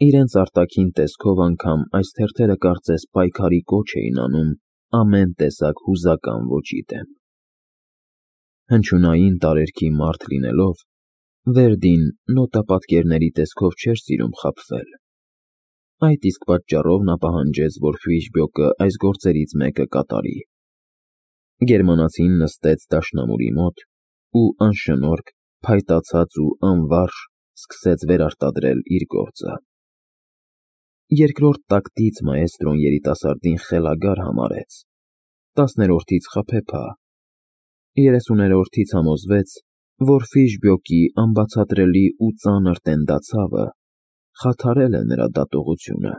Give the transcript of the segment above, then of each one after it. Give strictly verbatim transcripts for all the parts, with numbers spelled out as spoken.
Իրենց արտաքին տեսքով անգամ այս թերթերը կարծես պայքարի կոչ էին անում ամեն տեսակ հուզական ոճի դեմ։ Հնչյունային տարերքի մարդ լինելով, Վերդին նոտապատկերների տեսքով չէր սիրում խաբվել։ Այդ իսկ պատճառով նա պահանջեց, որ Ֆիշբյոկը այս գործերից մեկը կատարի։ Գերմանացին նստեց դաշնամուրի մոտ ու անշնորհք, փայտացած ու անվարժ սկսեց վերարտադրել իր գործը։ Երկրորդ տակտից մաեստրոն երիտասարդին խելագար համարեց, տասներորդից խաբեբա, երեսուներորդից համոզվեց, որ Ֆիշբյոկի անբացատրելի ու ծանր տենդացավը խաթարել է նրա դատողությունը,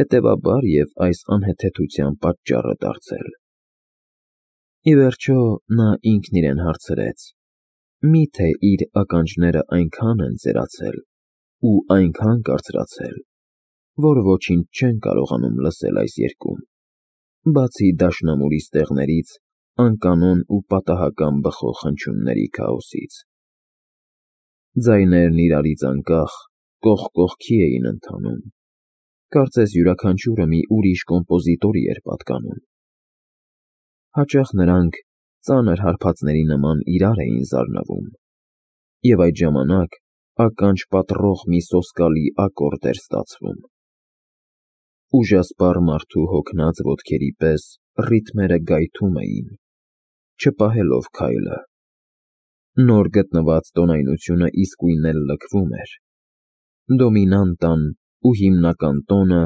հետևաբար և այս անհեթեթության պատճառը դարձել։ Ի վերջո, նա ինքն իրեն հարցրեց. միթե իր ականջները այնքան են ծերացել ու այնքան կարծրացել, որ ոչինչ չեն կարողանում լսել այս երկրում, բացի դաշնամուրի ստեղներից անկանոն ու պատահական բխող հնչյունների քաոսից։ Ձայներն իրարից անկախ, կողք կողքի էին ընթանում, կարծես յուրաքանչյուրը մի ուրիշ կոմպոզիտորի էր պատկանում։ Հաճախ նրանք ծանր հարբածների նման իրար էին զարնվում, և այդ ժամանակ ականջ պատռող մի սոսկալի ակորդ էր ստացվում։ Ուժասպառ մարդու հոգնած ոտքերի պես ռիթմերը գայթում էին, չպահելով քայլը։ Նոր գտնված տոնայնությունը իսկույն էլ լքվում էր։ Դոմինանտան ու հիմնական տոնը,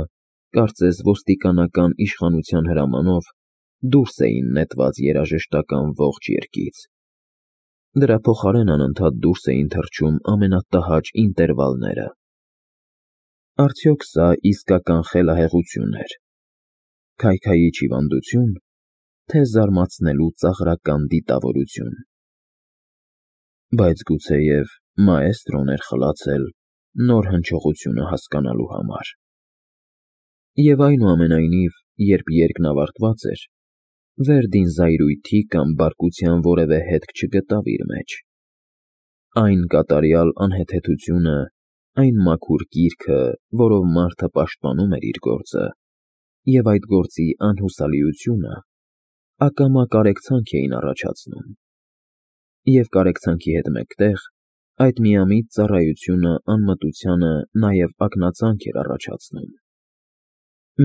կարծես ոստիկանական իշխանության հրամանով, դուրս էին նետված երաժշտական ողջ երգից։ Դրա փոխարեն անընդհատ դուրս էին թռչում ամենատհաճ ինտերվալները։ Արդյոք սա իսկական խելահեղությո՞ւն էր, քայքայիչ հիվանդությո՞ւն, թե զարմացնելու ծաղրական դիտավորություն։ Բայց գուցեև մաեստրոն էր խլացել նոր հնչողությունը հասկանալու համար։ Եվ այնուամենայնիվ, երբ երգն ավարտված էր, Վերդին զայրույթի կամ բարկության որևէ հետք չգտավ իր մեջ։ Այն կատարյալ անհեթեթությունը, այն մաքուր կիրքը, որով մարդը պաշտպանում էր իր գործը, և այդ գործի անհուսալիությունը ակամա կարեկցանք էին առաջացնում, և կարեկցանքի հետ մեկտեղ այդ միամիտ ծառայությունը անմտությանը նաև ակնածանք էր առաջացնում։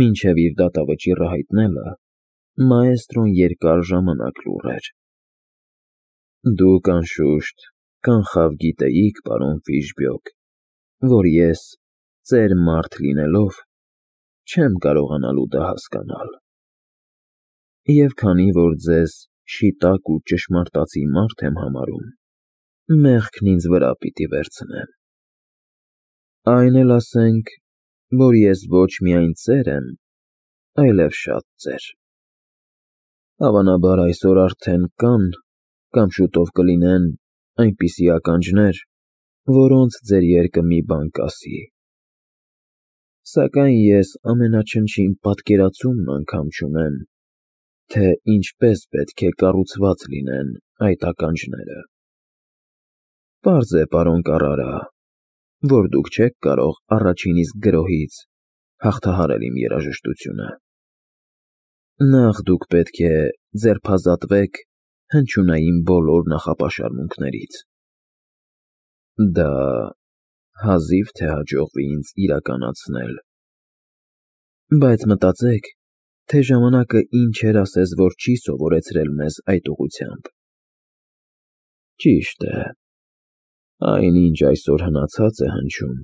Մինչև իր դատավճիռը հայտնելը մաեստրոն երկար ժամանակ լուռ էր։ Դուք, անշուշտ, կանխավ գիտեիք, պարոն Ֆիշբյոկ, որ ես, ծեր մարդ լինելով, չեմ կարողանալու դա հասկանալ։ Եվ քանի որ ձեզ շիտակ ու ճշմարտացի մարդ եմ համարում, մեղքն ինձ վրա պիտի վերցնեմ։ Այն էլ ասենք, որ ես ոչ միայն ծեր եմ, այլև շատ ծեր։ Հավանաբար այսօր արդեն կան կամ շուտով կլինեն այնպիսի ականջներ, որոնց ձեր երգը մի բան կասի։ Սակայն ես ամենաչնչին պատկերացումն անգամ չունեմ, թե ինչպես պետք է կառուցված լինեն այդ ականջները։ Պարզ է, պարոն Կառարա, որ դուք չեք կարող առաջին իսկ գրոհից հաղթահարել իմ երաժշտությունը։ Նախ դուք պետք է ձերբազատվեք հնչյունային բոլոր նախապաշարմունքներից։ Դա հազիվ թե հաջողվի ինձ իրականացնել։ Բայց մտածեք, թե ժամանակը ինչ էր ասես, որ չի սովորեցրել մեզ այդ ուղղությամբ։ Ճիշտ է, այն, ինչ այսօր հնացած է հնչում,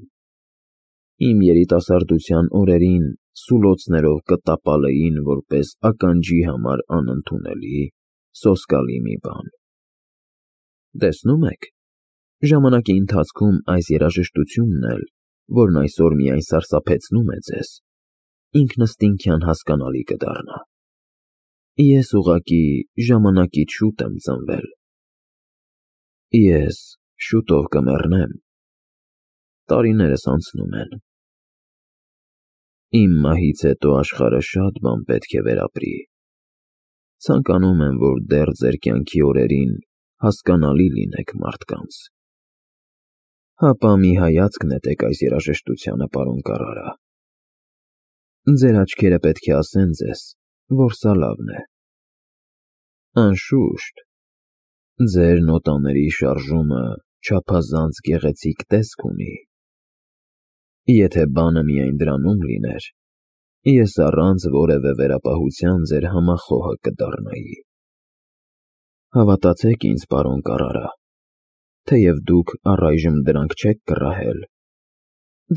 իմ երիտասարդության օրերին սուլոցներով կտապալեին որպես ականջի համար անընդունելի, սոսկալի մի բան։ Տեսնում եք, ժամանակի ընթացքում այս երաժշտությունն էլ, որն այսօր միայն սարսափեցնում է ձեզ, ինքնըստինքյան հասկանալի կդառնա։ Ես ուղղակի ժամանակից շուտ եմ ծնվել։ Ես շուտով կմեռնեմ, տարիներս անցնում են։ Իմ մահից հետո աշխարհը շատ բան պետք է վերապրի։ Ցանկանում եմ, որ դեռ ձեր կյանքի օրերին հասկանալի լինեք մարդկանց։ Հապա մի հայացք նետեք այս երաժշտությանը, պարոն Կարարա։ Ձեր աչքերը պետք է ասեն ձեզ, որ սա լավն է։ Անշուշտ, ձեր նոտաների շարժումը չափազանց գեղեցիկ տեսք ունի։ Եթե բանը միայն դրանում լիներ, ես առանց որևէ վերապահության ձեր համախոհը կդառնայի։ Հավատացեք ինձ, պարոն Կարարա, թեև դուք առայժմ դրանք չեք կռահել,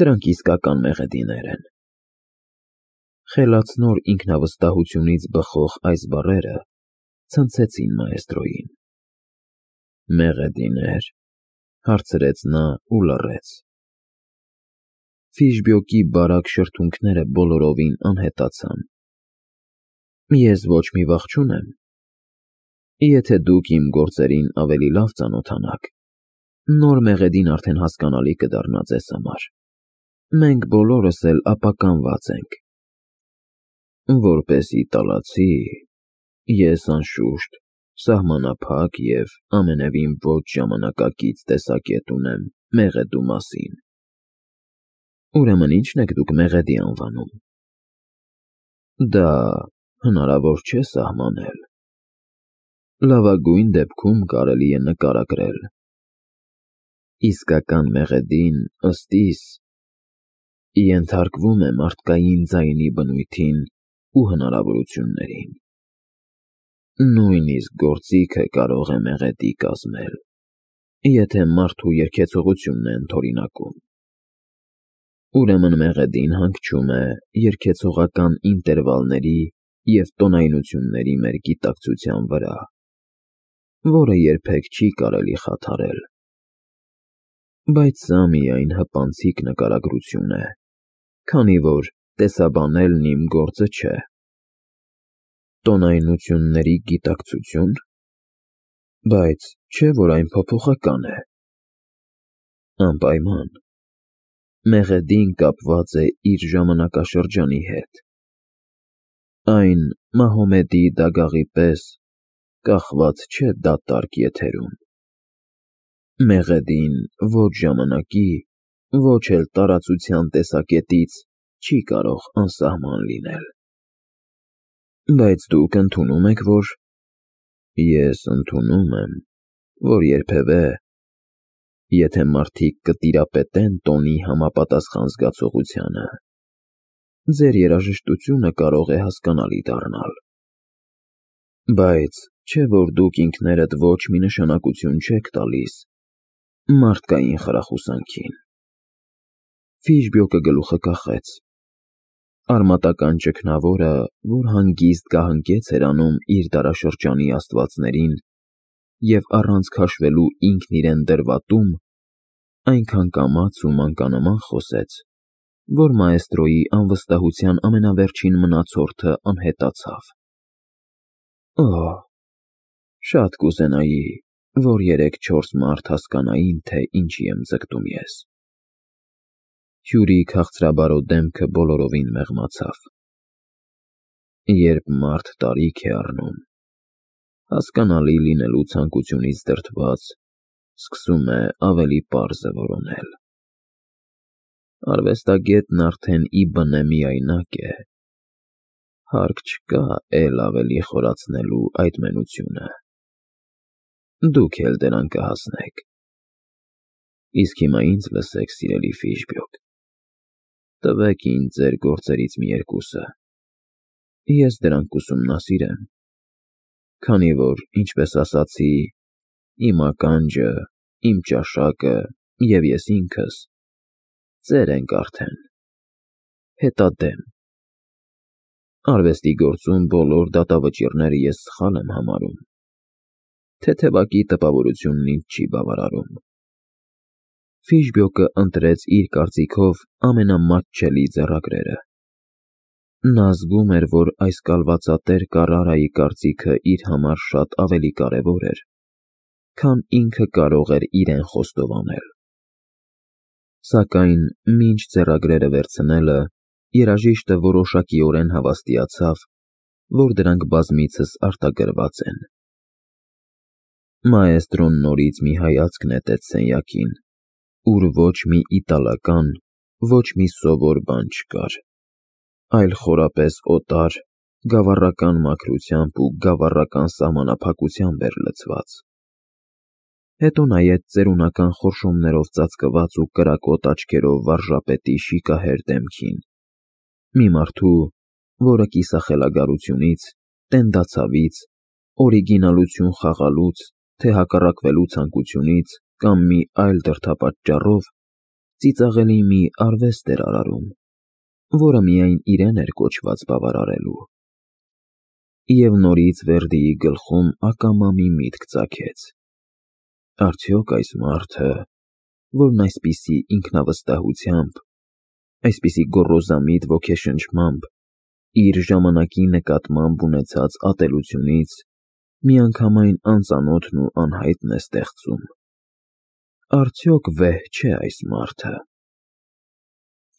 դրանք իսկական մեղեդիներ են։ Խելացնոր ինքնավստահությունից բխող այս բառերը ցնցեցին մաեստրոյին։ Մեղեդիներ, հարցրեց նա ու լռեց։ Ֆիժբյոկի բարակ շրթունքները բոլորովին անհետացան։ Ես ոչ մի վախ չունեմ։ Եթե դուք իմ գործերին ավելի լավ ծանոթանաք, նոր մեղեդին արդեն հասկանալի կդառնա ձեզ համար։ Մենք բոլորս էլ ապականված ենք։ Որպես իտալացի, ես անշուշտ սահմանափակ և ամենևին ոչ ժամանակակից տեսակետ ունեմ մեղեդու մասին։ Ուրեմն ի՞նչն եք դուք մեղեդի անվանում։ Դա հնարավոր չէ սահմանել։ Լավագույն դեպքում կարելի է նկարագրել։ Իսկական մեղեդին, ըստ իս, ենթարկվում է մարդկային ձայնի բնույթին ու հնարավորություններին։ Նույնիսկ գործիքը կարող է մեղեդի կազմել, եթե մարդու երգեցողությունն է ընդօրինակում։ Ուրեմն մեղեդին հանգչում է երգեցողական ինտերվալների և տոնայնությունների մեր գիտակցության վրա, որը երբեք չի կարելի խաթարել։ Բայց սա միայն հպանցիկ նկարագրություն է, քանի որ տեսաբանելն իմ գործը չէ։ Տոնայնությունների գիտակցություն։ Բայց չէ՞ որ այն փոփոխական է։ Անպայման։ Մեղեդին կապված է իր ժամանակաշրջանի հետ։ Այն Մահոմեդի դագաղի պես կախված չէ դատարկ եթերում։ Մեղեդին ոչ ժամանակի, ոչ էլ տարածության տեսակետից չի կարող անսահման լինել։ Բայց դուք ընդունում եք, որ… Ես ընդունում եմ, որ երբևէ, եթե մարդիկ կտիրապետեն տոնի համապատասխան զգացողությանը, ձեր երաժշտությունը կարող է հասկանալի դառնալ։ Բայց չէ՞ որ դուք ինքներդ ոչ մի նշանակություն չեք տալիս մարդկային խրախուսանքին։ Ֆիժբյոկը գլուխը կախեց։ Արմատական ճգնավորը, որ հանգիստ կահնկեց էր անում իր դարաշրջանի աստվածներին և առանց քաշվելու ինքն իրեն դրվատում, այնքան կամաց ու մանկանման խոսեց, որ մաեստրոյի անվստահության ամենավերջին մնացորդը անհետացավ։ Օհ, շատ կուզենայի, որ երեք-չորս մարդ հասկանային, թե ինչի եմ ձգտում ես։ Հյուրի քաղցրաբարո դեմքը բոլորովին մեղմացավ։ Երբ մարդ տարիք է առնում, հասկանալի լինելու ցանկությունից դրդված, սկսում է ավելի պարզը որոնել։ Արվեստագետն արդեն ի բնե միայնակ է, հարկ չկա էլ ավելի խորացնելու այդ մենությունը։ Դուք էլ դրան կհասնեք։ Իսկ հիմա ինձ լսեք, սիրելի Ֆիժբյոկ, տվեք ինձ ձեր գործերից մի երկուսը, ես դրանք կուսումնասիրեմ, քանի որ, ինչպես ասացի, իմ ականջը, իմ ճաշակը և ես ինքս ծեր ենք արդեն, հետադեմ։ Արվեստի գործում բոլոր դատավճիռները ես սխալ եմ համարում։ Թեթևակի տպավորությունն ինձ չի բավարարում։ Ֆիժբյոկը ընտրեց իր կարծիքով ամենամատչելի ձեռագրերը։ Նա զգում էր, որ այս կալվածատեր Կարարայի կարծիքը իր համար շատ ավելի կարևոր էր, քան ինքը կարող էր իրեն խոստովանել։ Սակայն մինչ ձեռագրերը վերցնելը, երաժիշտը որոշակիորեն հավաստիացավ, որ դրանք բազմիցս արտագրված են։ Մաեստրոն նորից մի հայացք նետեց սենյակին ուր ոչ մի իտալական, ոչ մի սովոր բան չկար, այլ խորապես օտար, գավառական մաքրությամբ ու գավառական սահմանափակությամբ էր լցված։ Հետո նայեց ծերունական խորշումներով ծածկված ու կրակոտ աչքերով վարժապետի շիկահեր դեմքին, մի մարդու, որը կիսախելագարությունից, տենդացավից, օրիգինալություն խաղալուց, թե հակառակվելու ցանկությունից կամ մի այլ դրդապատճառով ծիծաղելի մի արվեստ էր արարում, որը միայն իրեն էր կոչված բավարարելու։ Եվ նորից Վերդիի գլխում ակամա մի միտք ծագեց. արդյոք այս մարդը, որն այսպիսի ինքնավստահությամբ, այսպիսի գոռոզամիտ ոգեշնչմամբ, իր ժամանակի նկատմամբ ունեցած ատելությունից միանգամայն անծանոթն ու անհայտն է ստեղծում, արդյոք վեհ չէ այս մարդը։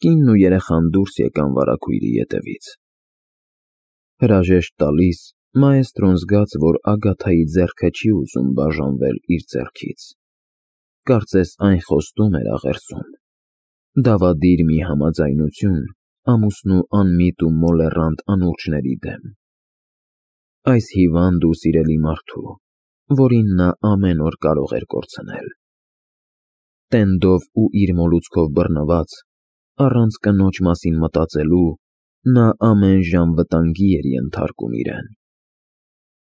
Կինն ու երեխան դուրս եկան վարագույրի ետևից։ Հրաժեշտ տալիս, մաեստրոն զգաց, որ Ագաթայի ձեռքը չի ուզում բաժանվել իր ձեռքից, կարծես այն խոստում էր աղերսում, դավադիր մի համաձայնություն ամուսնու անմիտ ու մոլեռանդ անուրջների դեմ, այս հիվանդ ու սիրելի մարդու, որին նա ամեն օր կարող էր կորցնել։ Տենդով ու իր մոլուցքով բռնված, առանց կնոջ մասին մտածելու, նա ամեն ժամ վտանգի էր ենթարկում իրեն։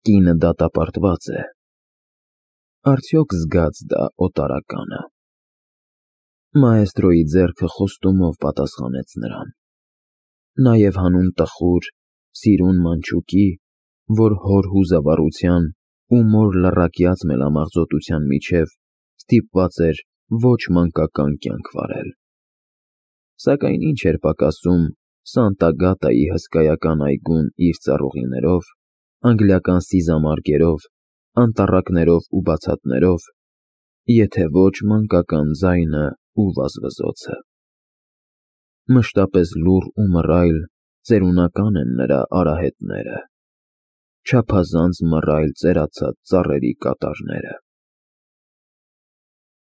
Կինը դատապարտված է, արդյոք զգաց դա օտարականը։ Մաեստրոյի ձեռքը խոստումով պատասխանեց նրան, նաև հանուն տխուր, սիրուն մանչուկի, որ հոր հուզավառության ու մոր լռակյաց մելամաղձոտության միջև ստիպված էր ոչ մանկական կյանք վարել։ Սակայն ինչ էր պակասում Սանտա֊Գատայի հսկայական այգուն իր ծառուղիներով, անգլիական սիզամարգերով, անտառակներով ու բացատներով, եթե ոչ մանկական ձայնը ու վազվզոցը։ Մշտապես լուռ ու մռայլ ծերունական են նրա արահետները, չափազանց մռայլ ծերացած ծառերի կատարները։